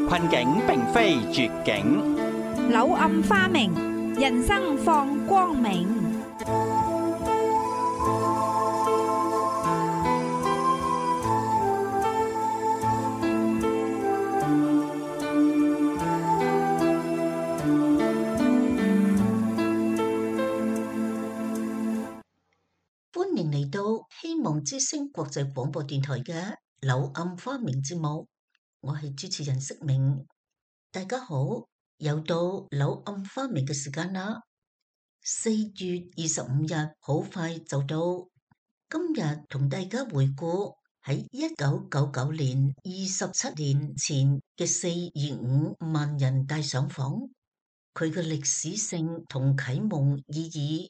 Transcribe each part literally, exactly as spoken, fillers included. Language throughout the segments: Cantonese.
困境並非絕境，柳暗花明，人生放光明。歡迎嚟到希望之聲國際廣播電台嘅柳暗花明節目，我係主持人釋明。大家好，又到柳暗花明嘅時間啦。四月二十五日好快就到，今日同大家回顧喺一九九九年二十七年前嘅四二五萬人大上訪，佢嘅歷史性同啟蒙意義。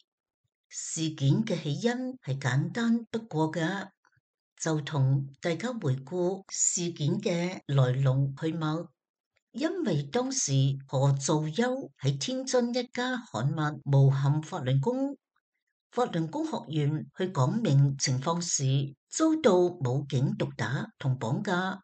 事件嘅起因係簡單不過嘅，就同大家回顧事件嘅來龍去脈。因為當時何造休喺天津一家刊物誣陷法輪功，法輪功學員去講明情況時，遭到武警毒打同綁架。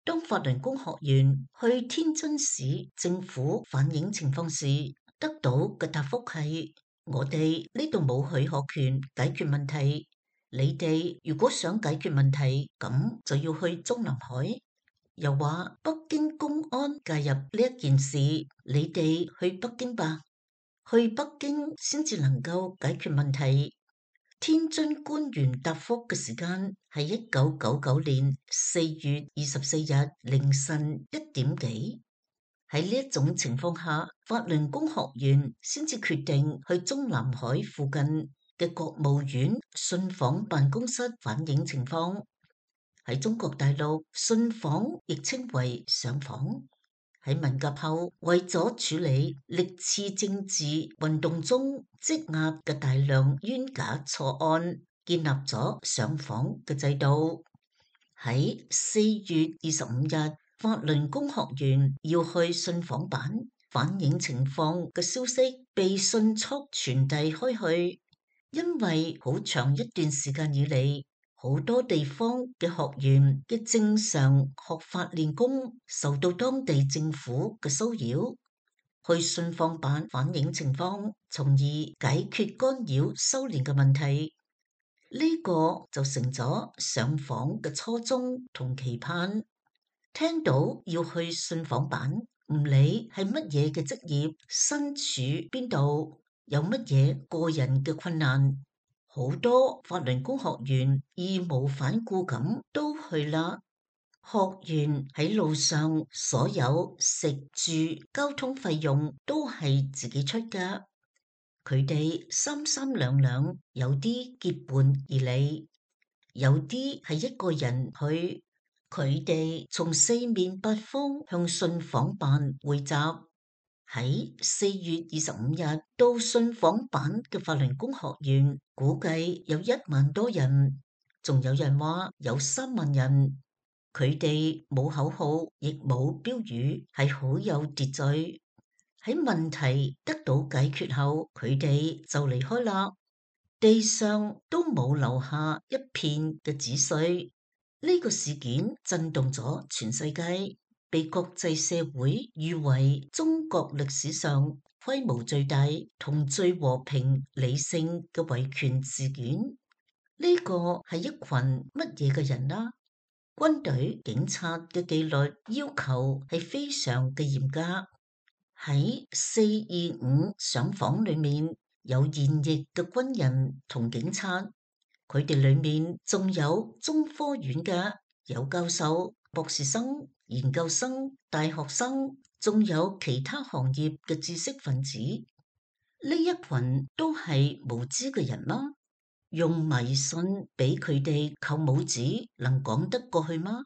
當法輪功學員去天津市政府反映情況時，得到嘅答覆係：我哋呢度冇許可權解決問題，你哋如果想解決問題，咁就要去中南海。又話北京公安介入呢一件事，你哋去北京吧，去北京先至能夠解決問題。天津官員答覆嘅時間係一九九九年四月二十四日凌晨一點幾。喺呢一種情況下，法輪功學員先至決定去中南海附近嘅國務院信訪辦公室反映情況。喺中國大陸，信訪亦稱為上訪。喺文革後，為咗處理歷次政治運動中積壓嘅大量冤假錯案，建立咗上訪嘅制度。喺四月二十五日，法輪功學員要去信訪辦反映情況嘅消息被迅速傳遞開去，因為好長一段時間以嚟，好多地方嘅學員嘅正常學法練功受到當地政府嘅騷擾，去信訪辦反映情況，從而解決干擾修練嘅問題。呢、這個就成咗上訪嘅初衷同期盼。聽到要去信訪辦，唔理係乜嘢嘅職業，身處邊度，有乜嘢個人嘅困難，好多法輪功學員義無反顧咁都去啦。學員喺路上所有食住交通費用都係自己出㗎，佢哋三三兩兩，有啲結伴而嚟，有啲係一個人去。佢哋從四面八方向信訪辦匯集。喺四月二十五日到信訪辦嘅法輪功學員估計有一萬多人，仲有人話有三萬人。佢哋冇口號，亦冇標語，係好有秩序。喺問題得到解決後，佢哋就離開啦。地上都冇留下一片嘅紙碎。呢個事件震動咗全世界，被國際社會譽為中國歷史上規模最大同最和平理性嘅維權事件。呢個係一群乜嘢嘅人啦？軍隊、警察嘅紀律要求係非常嘅嚴格。喺四二五上訪裏面，有現役嘅軍人同警察。佢哋裏面仲有中科院嘅，有教授、博士生、研究生、大學生，仲有其他行業嘅知識分子。呢一群都係無知嘅人啦，用迷信俾佢哋扣帽子，能講得過去嗎？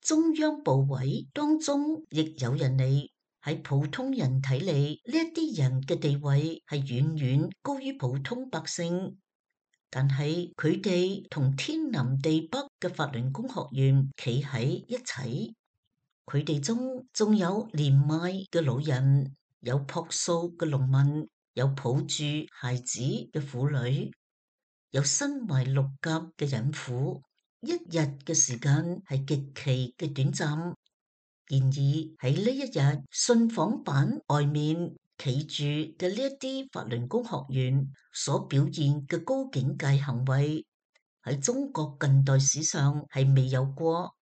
中央部委當中亦有人嚟，喺普通人睇嚟，呢一啲人嘅地位係遠遠高於普通百姓。但係佢哋同天南地北嘅法輪功學員企喺一齊，佢哋中仲有年邁嘅老人，有樸素嘅農民，有抱住孩子嘅婦女，有身懷六甲嘅孕婦。一日嘅時間係極其嘅短暫，然而喺呢一日信訪版外面企住嘅呢一啲法輪功學員所表現嘅高境界行為，喺中國近代史上係未有過。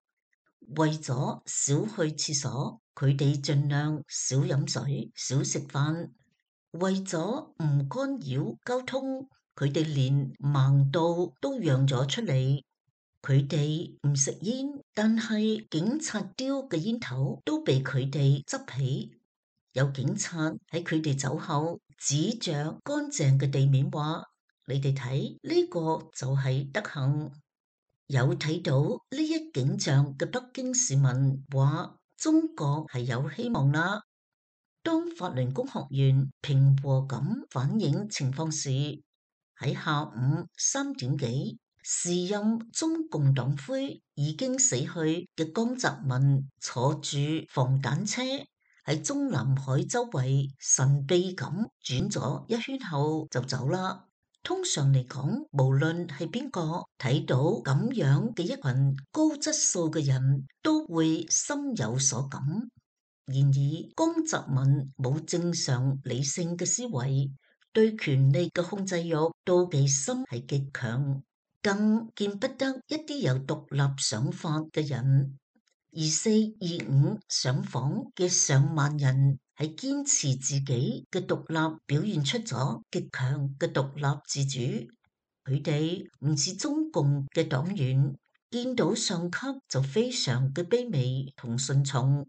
為咗少去廁所，佢哋盡量少飲水、少食飯；為咗唔干擾交通，佢哋連盲道都讓咗出嚟。佢哋唔食煙，但係警察丟嘅煙頭都被佢哋執起。有警察喺佢哋走後，指着乾淨嘅地面話：你哋睇，呢個就係德行。有睇到呢一景象嘅北京市民話：中國係有希望啦。當法輪功學員平和咁反映情況時，喺下午三點幾，時任中共黨魁已經死去嘅江澤民坐住防彈車喺中南海周圍神秘咁轉咗一圈後就走啦。通常嚟講，無論係邊個睇到咁樣嘅一群高質素嘅人，都會心有所感。然而，江澤民冇正常理性嘅思維，對權力嘅控制欲妒忌心係極強，更見不得一啲有獨立想法嘅人。而四二五上訪嘅上萬人係堅持自己嘅獨立，表現出咗極強嘅獨立自主。佢哋唔似中共嘅黨員，見到上級就非常嘅卑微同順從。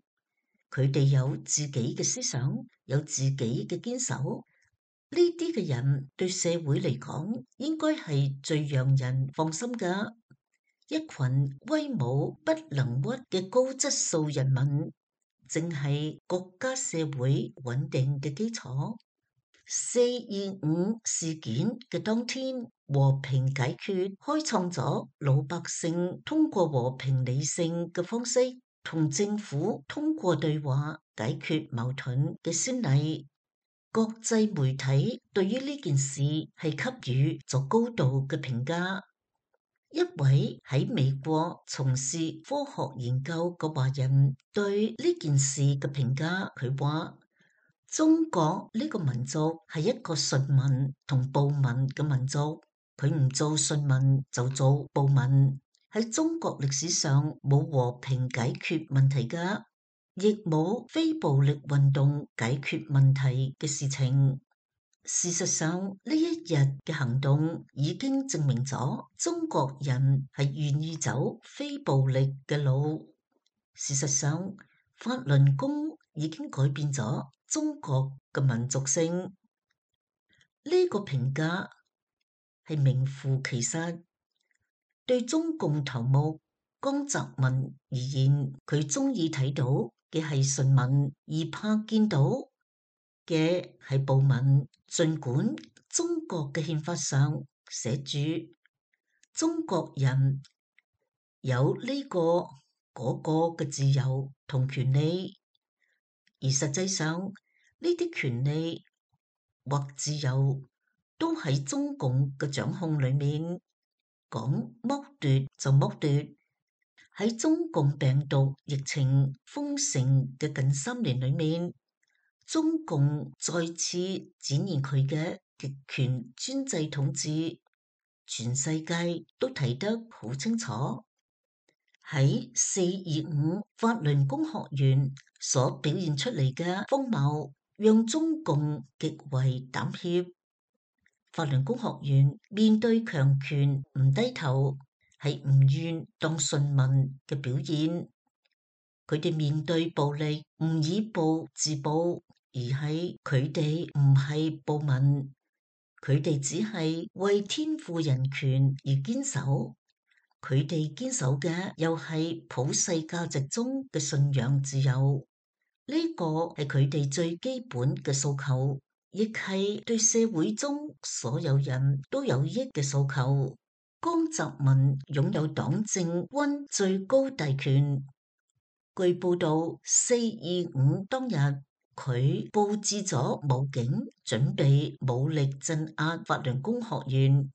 佢哋有自己嘅思想，有自己嘅堅守。呢啲嘅人對社會嚟講，應該係最讓人放心㗎。一群威武不能屈嘅高質素人民，正係國家社會穩定嘅基礎。四二五事件嘅當天，和平解決開創咗老百姓通過和平理性嘅方式同政府通過對話解決矛盾嘅先例。國際媒體對於呢件事係給予咗高度嘅評價。一位喺美國從事科學研究嘅華人對呢件事嘅評價，佢話：中國呢個民族係一個順民同暴民嘅民族，佢唔做順民就做暴民。喺中國歷史上冇和平解決問題㗎，亦冇非暴力運動解決問題嘅事情。事實上，呢一日嘅行動已經證明咗中國人係願意走非暴力嘅路。事實上，法輪功已經改變咗中國嘅民族性。呢、這個評價係名副其實。對中共頭目江澤民而言，佢中意睇到嘅係順民，而怕見到嘅係暴民。儘管中國嘅憲法上寫住中國人有呢個嗰個嘅自由同權利，而實際上呢啲權利或自由都喺中共嘅掌控裏面，講剝奪就剝奪。喺中共病毒疫情封城嘅近三年裏面，中共再次展現佢嘅極權專制統治，全世界都睇得好清楚。喺四二五法輪功學員所表現出嚟嘅風貌，讓中共極為膽怯。法輪功學員面對強權唔低頭，係唔願當順民嘅表現。佢哋面對暴力唔以暴制暴，而係佢哋唔係暴民，佢哋只係為天賦人權而堅守。佢哋堅守嘅又係普世價值中嘅信仰自由，呢個係佢哋最基本嘅訴求，亦係對社會中所有人都有益嘅訴求。江澤民擁有黨政軍最高大權。據報道，四二五當日佢佈置咗武警，準備武力鎮壓法輪功學員。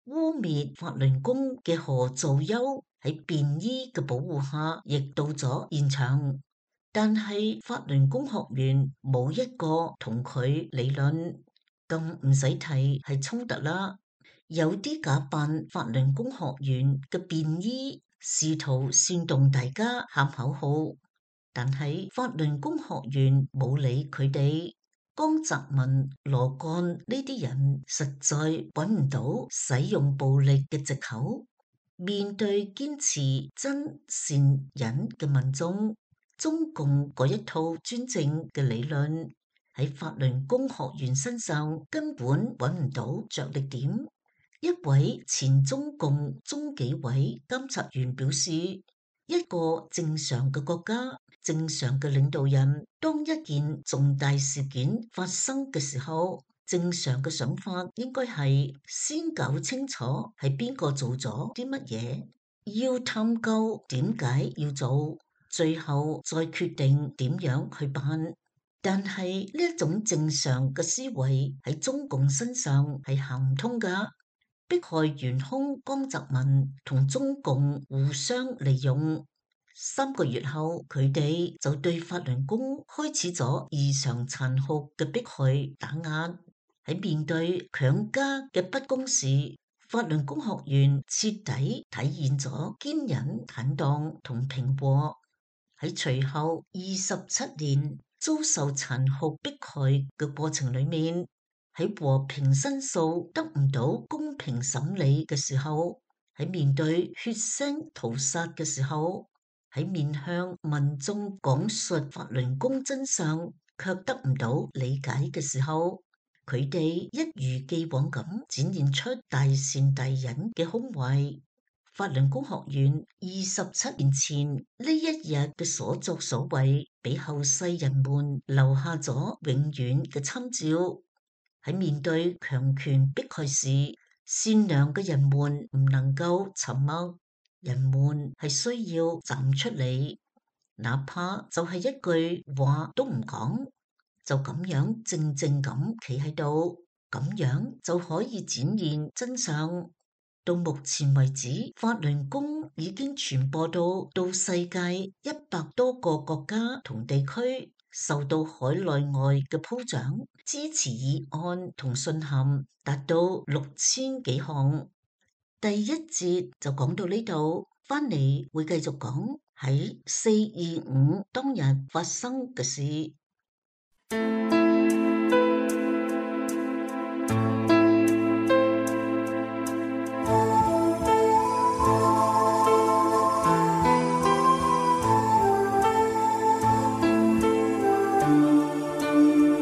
污蔑法輪功嘅何造休喺便衣嘅保護下，亦到咗現場。但係法輪功學員冇一個同佢理論，更唔使提係衝突啦。有啲假扮法輪功學員嘅便衣，試圖煽動大家喊口號，但係法輪功學員冇理佢哋。江澤民、羅幹呢啲人實在揾唔到使用暴力嘅藉口。面對堅持真善忍嘅民眾，中共嗰一套專政嘅理論喺法輪功學員身上根本揾唔到着力點。一位前中共中紀委監察員表示，一個正常嘅國家，正常嘅領導人，當一件重大事件發生嘅時候，正常嘅想法應該係先搞清楚係邊個做咗啲乜嘢，要探究點解要做，最後再決定點樣去辦。但係呢一種正常嘅思維喺中共身上係行唔通㗎。迫害元兇江澤民同中共互相利用，三個月後佢哋就對法輪功開始咗異常殘酷嘅迫害打壓。喺面對強加嘅不公時，法輪功學員徹底體現咗堅忍坦蕩同平和。喺隨後二十七年遭受殘酷迫害嘅過程裏面，喺和平申訴得唔到公平審理嘅時候，喺面對血腥屠殺嘅時候，喺面向民眾講述法輪功真相卻得唔到理解嘅時候，佢哋一如既往咁展現出大善大忍嘅胸懷。法輪功學員二十七年前呢一日嘅所作所為，俾後世人們留下咗永遠嘅參照。喺面對強權迫害時，善良嘅人們唔能夠沉默，人們係需要站出嚟，哪怕就係一句話都唔講，就咁樣靜靜咁企喺度，咁樣就可以展現真相。到目前為止，法輪功已經傳播到到世界一百多個國家同地區，受到海內外嘅褒獎，支持議案同信函達到六千幾項。第一節就講到呢度，翻嚟會繼續講喺四二五當日發生嘅事。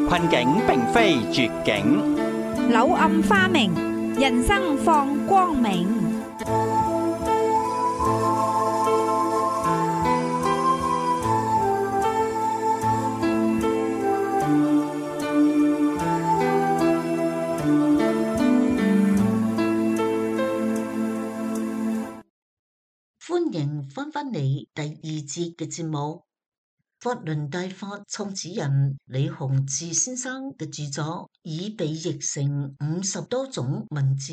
困境並非絕境，柳暗花明，人生放光明。歡迎翻返嚟第二節嘅節目。法輪大法創始人李洪志先生嘅著作已被譯成五十多種文字，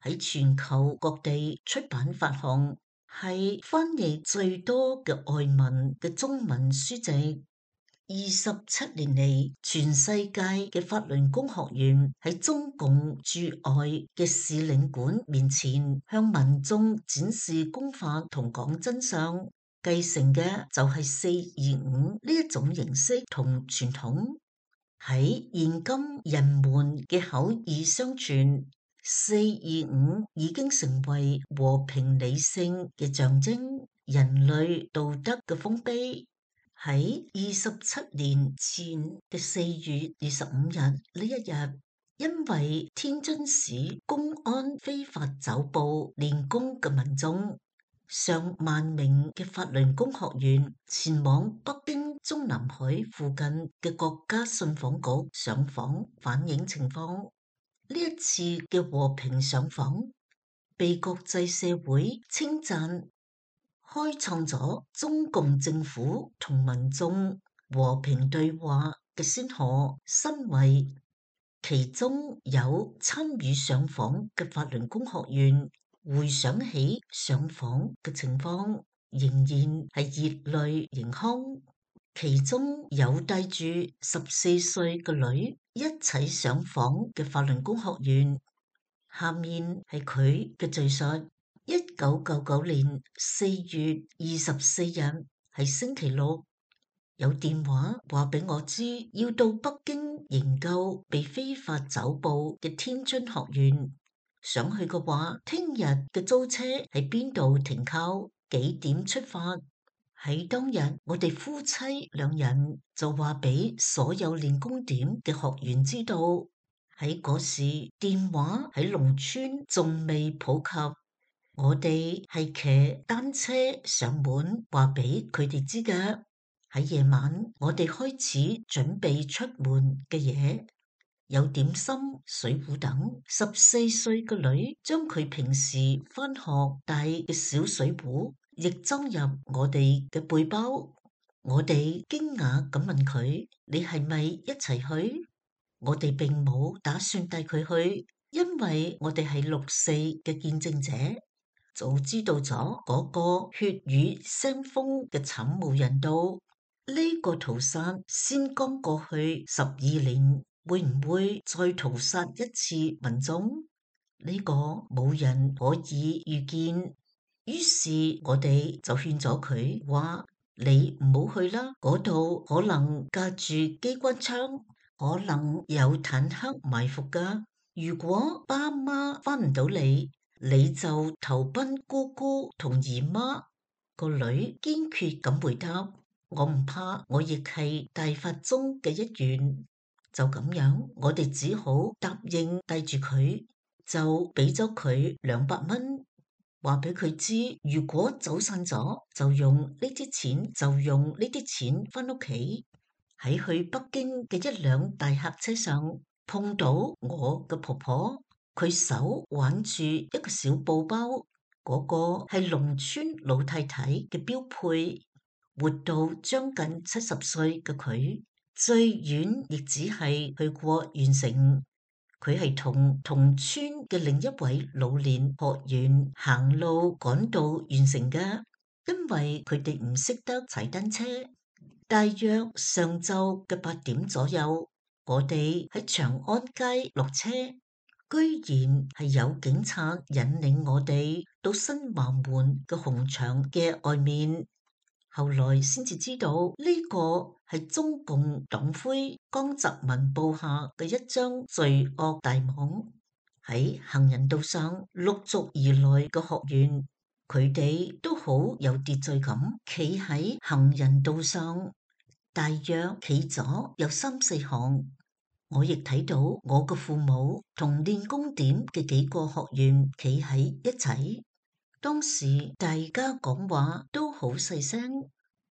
喺全球各地出版發行，係翻譯最多嘅外文嘅中文書籍。二十七年嚟，全世界嘅法輪功學員喺中共駐外嘅使領館面前向民眾展示功法同講真相，繼承嘅就係四二五呢一種形式同傳統。喺現今人們嘅口耳相傳，四二五已經成為和平理性嘅象徵，人類道德嘅豐碑。喺二十七年前嘅四月二十五日呢一日，因為天津市公安非法抓捕練功嘅民眾，上萬名嘅法輪功學員前往北京中南海附近嘅國家信訪局上訪反映情況。呢一次嘅和平上訪被國際社會稱讚。開創咗中共政府同民眾和平對話嘅先河新位，其中有參與上訪嘅法輪功學員回想起上訪嘅情況，仍然係熱淚盈眶。其中有帶住十四歲嘅女一齊上訪嘅法輪功學員，下面係佢嘅敘述。一九九九年四月二十四日係星期六，有電話話俾我知要到北京營救被非法抓捕嘅天津學員，想去嘅話，聽日嘅租車喺邊度停靠，幾點出發。喺當日，我哋夫妻兩人就話俾所有練功點嘅學員知道。喺嗰時，電話喺農村仲未普及，我哋係騎單車上門話俾佢哋知嘅。喺夜晚，我哋開始準備出門嘅嘢，有點心、水壺等。十四歲嘅女將佢平時返學帶嘅小水壺亦裝入我哋嘅背包。我哋驚訝咁問佢：你係咪一齊去？我哋並冇打算帶佢去，因為我哋係六四嘅見證者，早知道咗嗰個血雨腥風嘅慘無人道。呢個屠殺先剛過去十二年，會唔會再屠殺一次民眾？呢個冇人可以預見。於是我哋就勸咗佢話：你唔好去啦，嗰度可能架住機關槍，可能有坦克埋伏噶。如果爸媽翻唔到嚟，你就投奔姑姑同姨媽。個女堅決咁回答：我唔怕，我亦係大法中嘅一員。就咁樣，我哋只好答應帶住佢，就俾咗佢兩百蚊。話俾佢知，如果走散咗，就用呢啲錢，就用呢啲錢翻屋企。喺去北京嘅一輛大客車上，碰到我嘅婆婆，佢手挽住一個小布包，嗰個係農村老太太嘅標配。活到將近七十歲嘅佢，最遠亦只係去過縣城。佢係同同村嘅另一位老年學員行路趕到縣城嘅，因為佢哋唔識得踩單車。大約上晝嘅八點左右，我哋喺長安街落車，居然係有警察引領我哋到新華門嘅紅牆嘅外面。後來先至知道呢個係中共黨魁江澤民布下嘅一張罪惡大網。喺行人道上陸續而來嘅學員，佢哋都好有秩序咁企喺行人道上，大約企咗有三四行。我亦睇到我嘅父母同練功點嘅幾個學員企喺一齊。當時大家講話都好細聲，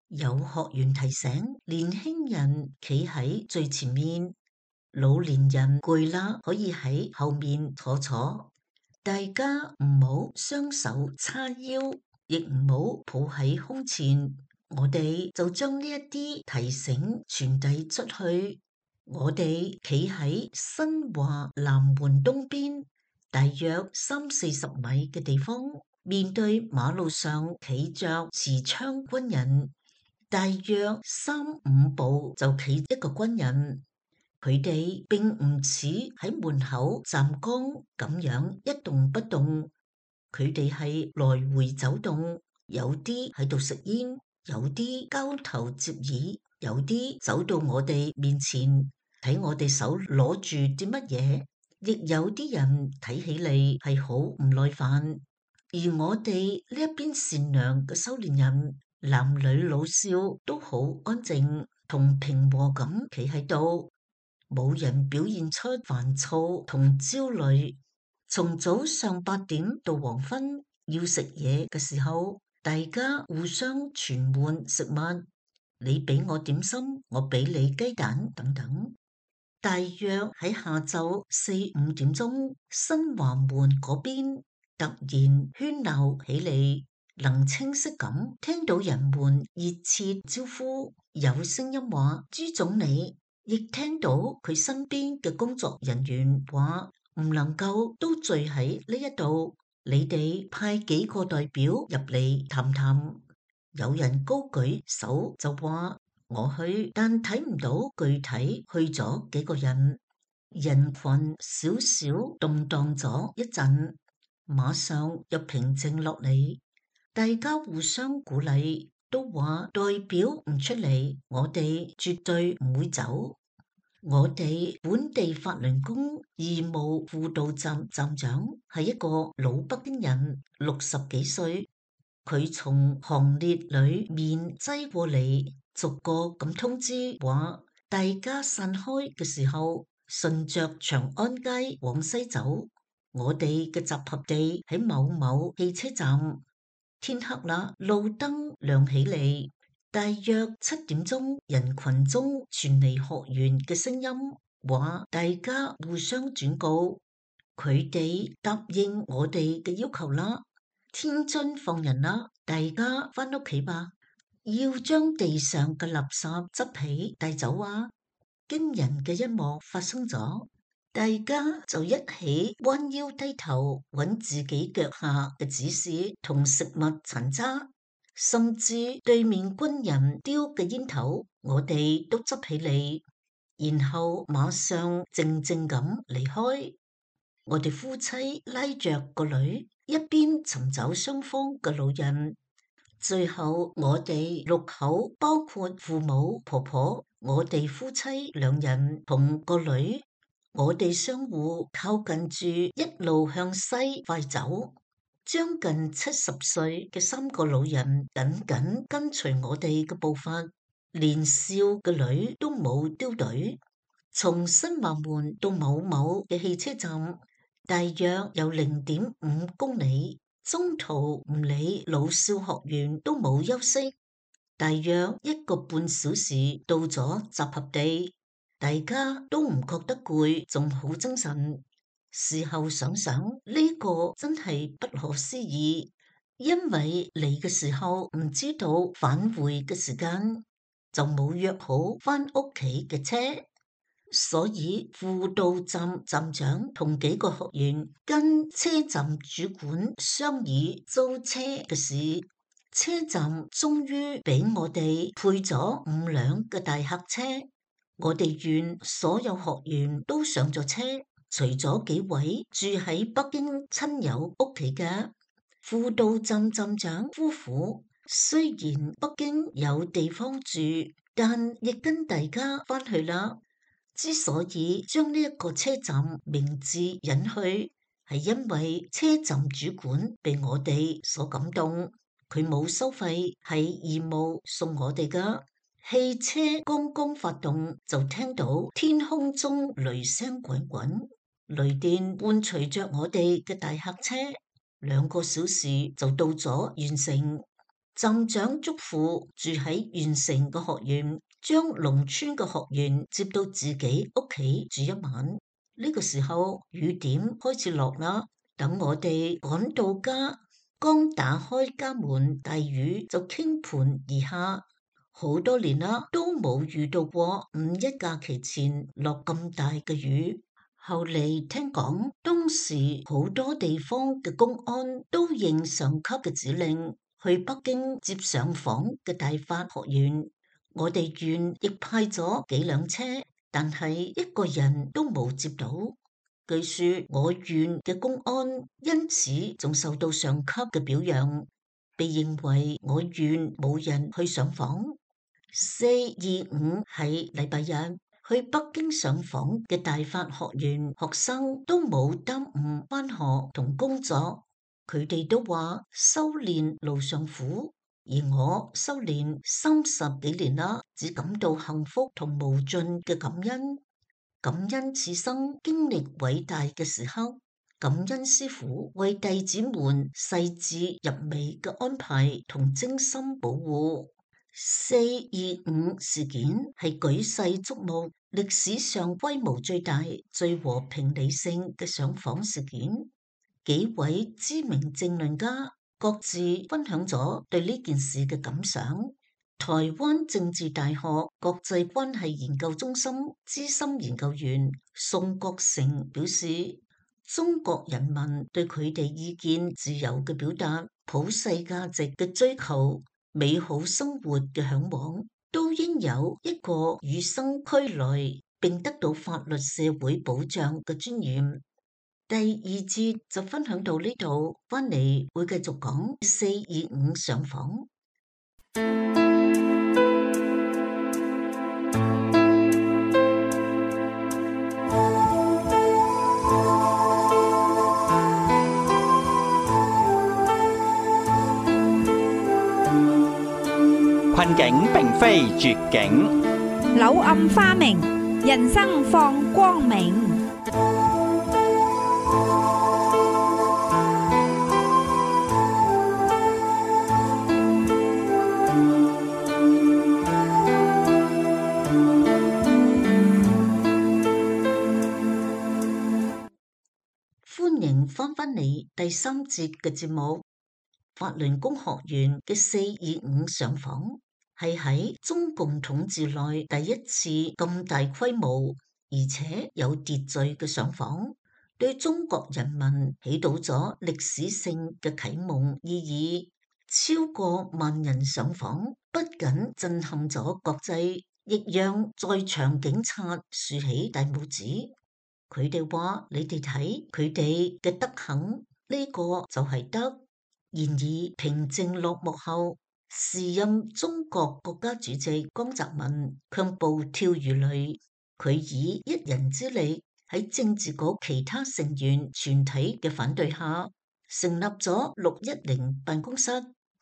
有學員提醒年輕人企喺最前面，老年人攰啦可以喺後面坐坐。大家唔好雙手叉腰，亦唔好抱喺胸前。我哋就將呢一啲提醒傳遞出去。我哋企喺新華南門東邊，大約三四十米嘅地方，面對馬路上企着持槍軍人，大約三五步就企一個軍人。佢哋並唔似喺門口站崗咁樣一動不動，佢哋係來回走動，有啲喺度食煙，有啲交頭接耳，有啲走到我哋面前睇我哋手攞住啲乜嘢，亦有啲人睇起嚟係好唔耐煩。而我哋呢一邊善良嘅修煉人，男女老少都好安靜同平和咁企喺度，冇人表現出煩躁同焦慮。從早上八點到黃昏要食嘢嘅時候，大家互相傳換食物，你俾我點心，我俾你雞蛋等等。大約喺下晝四五點鐘，新華門嗰邊突然喧鬧起嚟，能清晰咁聽到人們熱切招呼，有聲音話朱總理，亦聽到佢身邊嘅工作人員話唔能夠都聚喺呢一度，你哋派幾個代表入嚟談談。有人高舉手就話我去，但睇唔到具體去咗幾個人。人群少少動盪咗一陣，馬上又平靜落嚟。大家互相鼓勵，都話代表唔出嚟，我哋絕對唔會走。我哋本地法輪功義務輔導站站長係一個老北京人，六十幾歲。佢從行列裏面擠過嚟，逐個咁通知話，大家散開嘅時候，順着長安街往西走。我哋嘅集合地喺某某汽車站。天黑啦，路燈亮起嚟，大約七點鐘，人群中傳嚟學員嘅聲音，話大家互相轉告，佢哋答應我哋嘅要求啦，天津放人啦，大家返屋企吧，要將地上嘅垃圾執起帶走啊！驚人嘅一幕發生咗。大家就一起彎腰低頭揾自己腳下嘅紙屑同食物殘渣，甚至對面軍人丟嘅煙頭，我哋都執起嚟，然後馬上靜靜咁離開。我哋夫妻拉着個女，一邊尋找雙方嘅老人，最後我哋六口，包括父母、婆婆，我哋夫妻兩人同個女。我哋相互靠近住，一路向西快走。將近七十歲嘅三個老人緊緊跟隨我哋嘅步伐，年少嘅女都冇丟隊。從新華門到某某嘅汽車站，大約有零點五公里。中途唔理老少學員都冇休息，大約一個半小時到咗集合地。大家都唔覺得攰，仲好精神。事後想想，呢個真係不可思議，因為嚟嘅時候唔知道返回嘅時間，就冇約好返屋企嘅車，所以輔導站站長同幾個學員跟車站主管商議租車嘅事。車站終於俾我哋配咗五輛嘅大客車。我哋縣所有學員都上咗車，除咗幾位住喺北京親友屋企嘅輔導站站長夫婦。雖然北京有地方住，但亦跟大家返去啦。之所以將呢一個車站名字引去，係因為車站主管被我哋所感動，佢冇收費，係義務送我哋噶。汽車剛剛發動，就聽到天空中雷聲滾滾，雷電伴隨着我哋嘅大客車，兩個小時就到咗縣城。站長囑咐住喺縣城嘅學員，將農村嘅學員接到自己屋企住一晚。呢個時候雨點開始落啦，等我哋趕到家，剛打開家門，大雨就傾盆而下。好多年啦，都冇遇到過五一假期前落咁大嘅雨。後嚟聽講，當時好多地方嘅公安都應上級嘅指令，去北京接上訪嘅大法學員。我哋縣亦派咗幾輛車，但係一個人都冇接到。據說我縣嘅公安因此仲受到上級嘅表揚，被認為我縣冇人去上訪。四二五係禮拜日，去北京上訪嘅大法學員學生都冇耽誤返學同工作，佢哋都話修煉路上苦，而我修煉三十幾年啦，只感到幸福同無盡嘅感恩。感恩此生經歷偉大嘅時刻，感恩師父為弟子們細緻入微嘅安排同精心保護。四二五事件係舉世矚目，歷史上規模最大、最和平理性嘅上訪事件。幾位知名政論家各自分享咗對呢件事嘅感想。台灣政治大學國際關係研究中心資深研究員宋國成表示，中國人民對佢哋意見自由嘅表達、普世價值嘅追求、美好生活嘅嚮往，都應有一個與生俱來並得到法律社會保障嘅尊嚴。第二節就分享到呢度，翻嚟會繼續講四二五上訪。困境並非絕境，柳暗花明，人生放光明。歡迎翻返嚟第三節嘅節目。法輪功學員嘅四二五上訪係喺中共統治內第一次咁大規模而且有秩序嘅上訪，對中國人民起到咗歷史性嘅啟蒙意義。超過萬人上訪，不僅震撼咗國際，亦讓在場警察豎起大拇指。佢哋話：你哋睇佢哋嘅德行，呢個就係德。然而平靜落幕後，時任中國國家主席江澤民卻暴跳如雷。佢以一人之力喺政治局其他成員全體嘅反對下，成立咗六一零辦公室。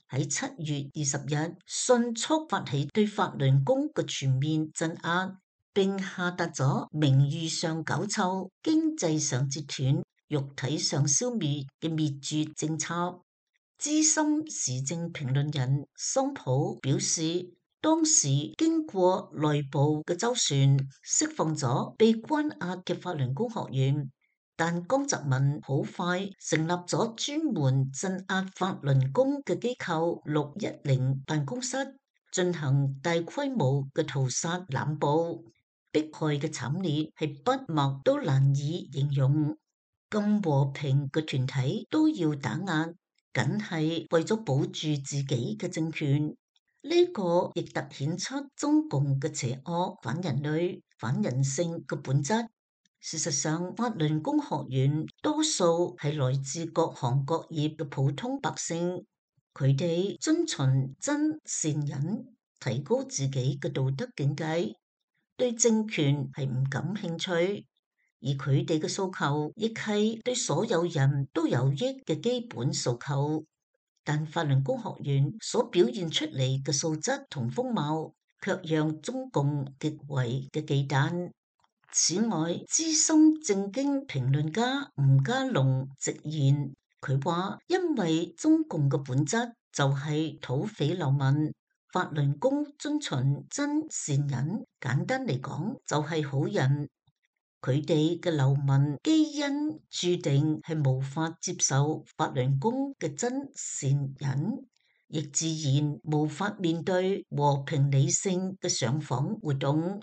喺七月二十日，迅速發起對法輪功嘅全面鎮壓，並下達咗名譽上搞臭、經濟上截斷、肉體上消滅嘅滅絕政策。資深時政評論人桑普表示，當時經過內部嘅周旋，釋放咗被關押嘅法輪功學員，但江澤民好快成立咗專門鎮壓法輪功嘅機構六一零辦公室，進行大規模嘅屠殺濫捕，迫害嘅慘烈係筆墨都難以形容。咁和平嘅團體都要打壓，僅係為咗保住自己嘅政權，呢個亦凸顯出中共嘅邪惡、反人類、反人性嘅本質。事實上，法輪功學員多數係來自各行各業嘅普通百姓，佢哋遵循真善忍，提高自己嘅道德境界，對政權係唔感興趣。而佢哋嘅訴求亦係對所有人都有益嘅基本訴求，但法輪功學員所表現出嚟嘅素質同風貌，卻讓中共極為嘅忌憚。此外，資深政經評論家吳家龍直言，佢話因為中共嘅本質就係土匪流民，法輪功遵循真善忍，簡單嚟講就係好人。佢哋嘅流民基因注定係無法接受法輪功嘅真善忍，亦自然無法面對和平理性嘅上訪活動。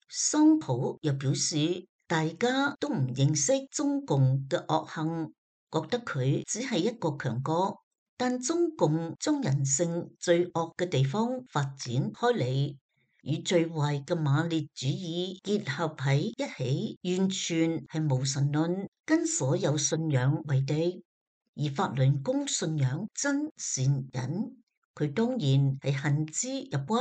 桑普又表示，大家都唔認識中共嘅惡行，覺得佢只係一個強國，但中共將人性最惡嘅地方發展開嚟，與最壞嘅馬列主義結合喺一起，完全係無神論，跟所有信仰為敵。而法輪功信仰真善忍，佢當然係恨之入骨，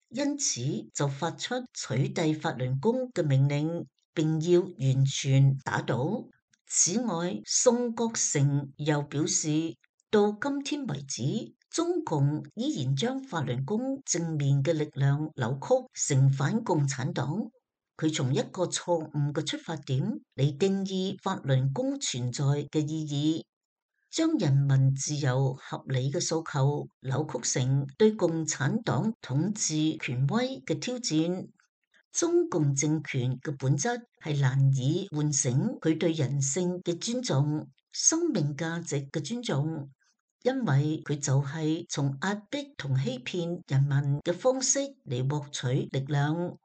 因此就發出取締法輪功嘅命令，並要完全打倒。此外，宋國成又表示，到今天為止，中共依然將法輪功正面嘅力量扭曲成反共產黨。佢從一個錯誤嘅出發點嚟定義法輪功存在嘅意義，將人民自由合理嘅訴求扭曲成對共產黨統治權威嘅挑戰。中共政權嘅本質係難以喚醒佢對人性嘅尊重、生命價值嘅尊重。因為佢就係從壓迫同欺騙人民嘅方式嚟獲取力量。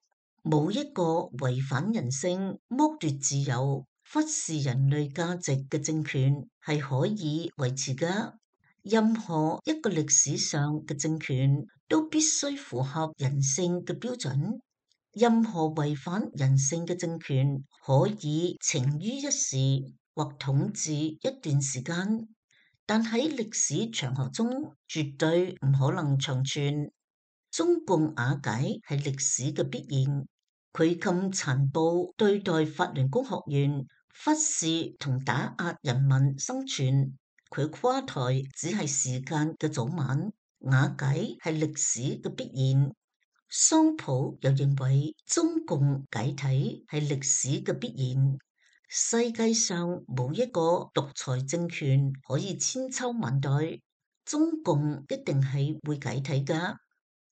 冇一個違反人性、剝奪自由、忽視人類價值嘅政權係可以維持㗎。任何一個歷史上嘅政權都必須符合人性嘅標準。任何違反人性嘅政權可以逞於一時或統治一段時間，但喺歷史長河中絕對唔可能長存。中共瓦解係歷史嘅必然。佢咁殘暴對待法輪功學員，忽視同打壓人民生存，佢垮台只係時間嘅早晚，瓦解係歷史嘅必然。桑普又認為中共解體係歷史嘅必然。世界上冇一個獨裁政權可以千秋萬代，中共一定係會解體㗎。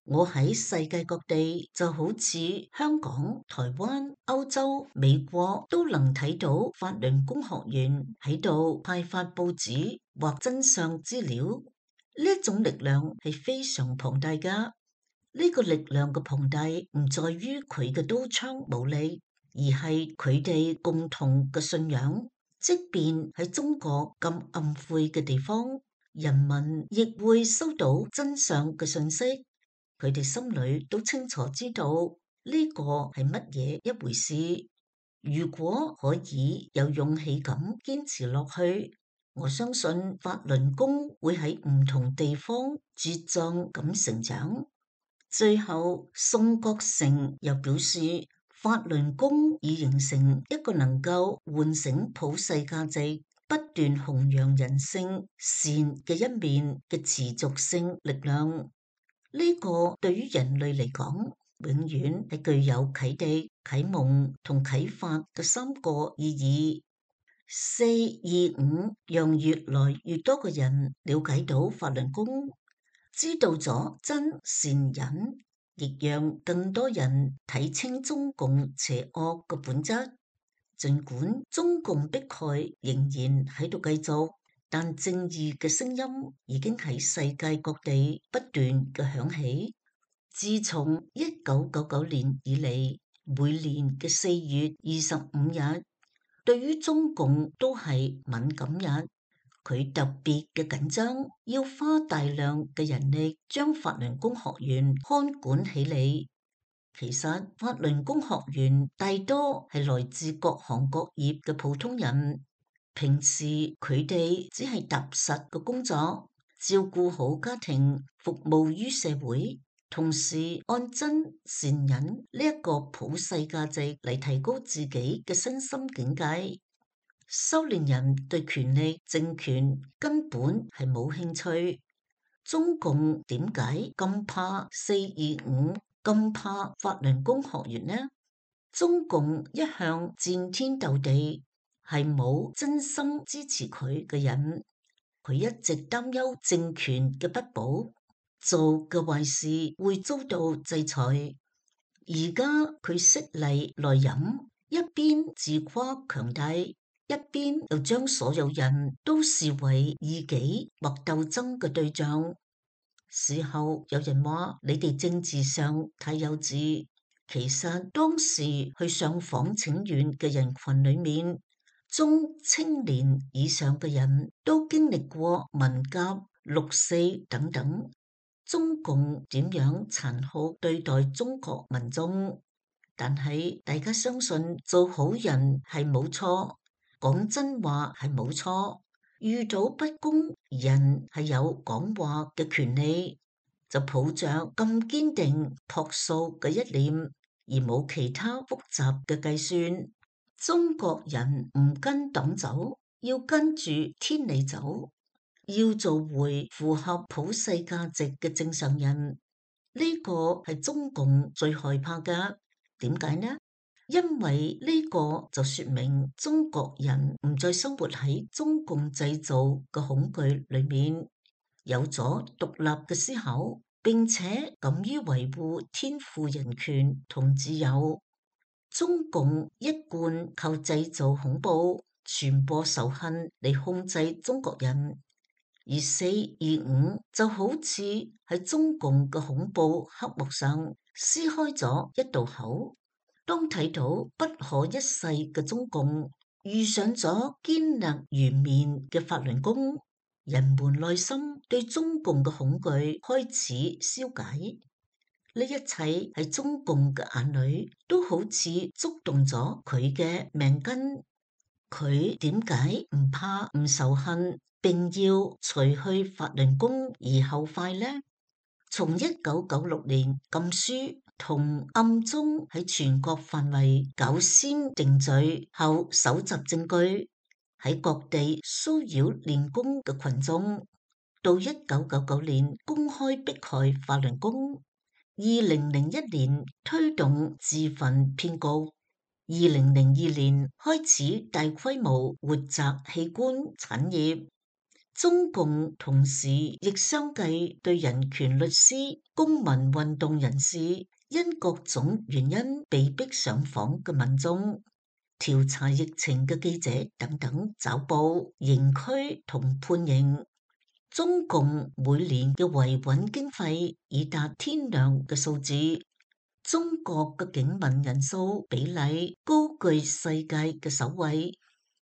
我喺世界各地就好似香港、台灣、歐洲、美國都能睇到法輪功學員喺度派發報紙或真相資料，呢種力量係非常龐大㗎。呢個力量嘅龐大唔在於佢嘅刀槍武力，而係佢哋共同嘅信仰。即便喺中國咁暗晦嘅地方，人民亦會收到真相嘅信息。佢哋心裏都清楚知道呢個係乜嘢一回事。如果可以有勇氣咁堅持落去，我相信法輪功會喺唔同地方茁壯咁成長。最後，宋國成又表示，法輪功已形成一個能夠喚醒普世價值、不斷弘揚人性善嘅一面嘅持續性力量。呢個對於人類嚟講，永遠係具有啟迪、啟蒙同啟發嘅三個意義。四二五，讓越來越多嘅人了解到法輪功，知道咗真善忍，亦讓更多人睇清中共邪惡嘅本質。儘管中共迫害仍然喺度繼續，但正義嘅聲音已經喺世界各地不斷嘅響起。自從一九九九年以嚟，每年嘅四月二十五日，對於中共都係敏感日，佢特別嘅緊張，要花大量嘅人力將法輪功學員看管起嚟。其實法輪功學員大多係來自各行各業嘅普通人。平時佢哋只係踏實嘅工作，照顧好家庭，服務於社會，同時按真善忍呢一個普世價值嚟提高自己嘅身心境界。修煉人對權力政權根本係冇興趣。中共點解咁怕四二五，咁怕法輪功學員呢？中共一向戰天鬥地，係冇真心支持佢嘅人，佢一直擔憂政權嘅不保，做嘅壞事會遭到制裁。而家佢悉厲內荏，一邊自誇強大，一邊又將所有人都視為異己或鬥爭嘅對象。事後有人話你哋政治上太幼稚，其實當時去上訪請願嘅人群裏面，中青年以上嘅人都經歷過文革、六四等等，中共點樣殘酷對待中國民眾，但係大家相信做好人係冇錯，講真話係冇錯，遇到不公，人係有講話嘅權利，就抱着咁堅定樸素嘅一念，而冇其他複雜嘅計算。中國人唔跟黨走，要跟住天理走，要做回符合普世價值嘅正常人。呢個係中共最害怕㗎。點解呢？因為呢個就說明中國人唔再生活喺中共製造嘅恐懼裏面，有咗獨立嘅思考，並且敢於維護天賦人權同自由。中共一貫靠製造恐怖、傳播仇恨嚟控制中國人。而四二五就好似喺中共嘅恐怖黑幕上撕開咗一道口。當睇到不可一世嘅中共遇上咗堅立如綿嘅法輪功，人們內心對中共嘅恐懼開始消解。呢一切喺中共嘅眼裏都好似觸動咗佢嘅命根。佢點解唔怕唔仇恨，並要除去法輪功而後快呢？從一九九六年禁書同暗中喺全國範圍搞先定罪後搜集證據，喺各地騷擾練功嘅群眾，到一九九九年公開迫害法輪功，二零零一年推動自焚騙局，二零零二年開始大規模活摘器官產業。中共同時亦相繼對人權律師、公民運動人士、因各種原因被逼上訪嘅民眾、調查疫情嘅記者等等抓捕、刑拘同判刑。中共每年嘅維穩經費已達天量嘅數字。中國嘅警民人數比例高居世界嘅首位。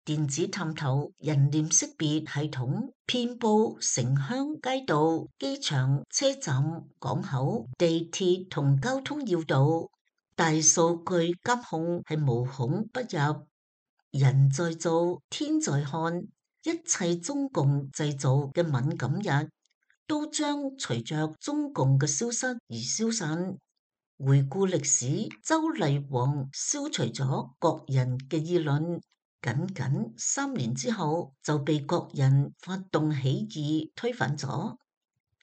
電子探頭、人臉識別系統遍佈城鄉街道、機場、車站、港口、地鐵同交通要道，大數據監控係無孔不入。人在做，天在看，一切中共製造嘅敏感日都將隨着中共嘅消失而消散。回顧歷史，周厲王消除咗國人嘅議論，僅僅三年之後就被國人發動起義推翻咗，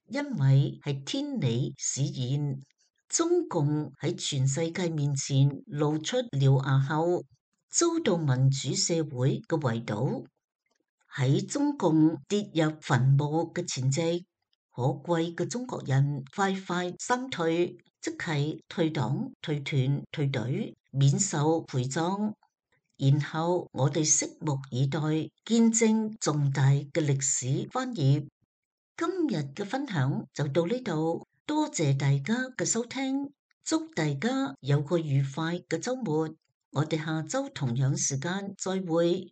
因為係天理使然。中共喺全世界面前露出獠牙後，遭到民主社會嘅圍堵。喺中共跌入墳墓嘅前夕，可貴嘅中國人快快三退，即係退黨、退團、退隊，免受陪葬。然後我哋拭目以待，見證重大嘅歷史翻頁。今日嘅分享就到呢度，多謝大家嘅收聽，祝大家有個愉快嘅週末。我哋下週同樣時間再會。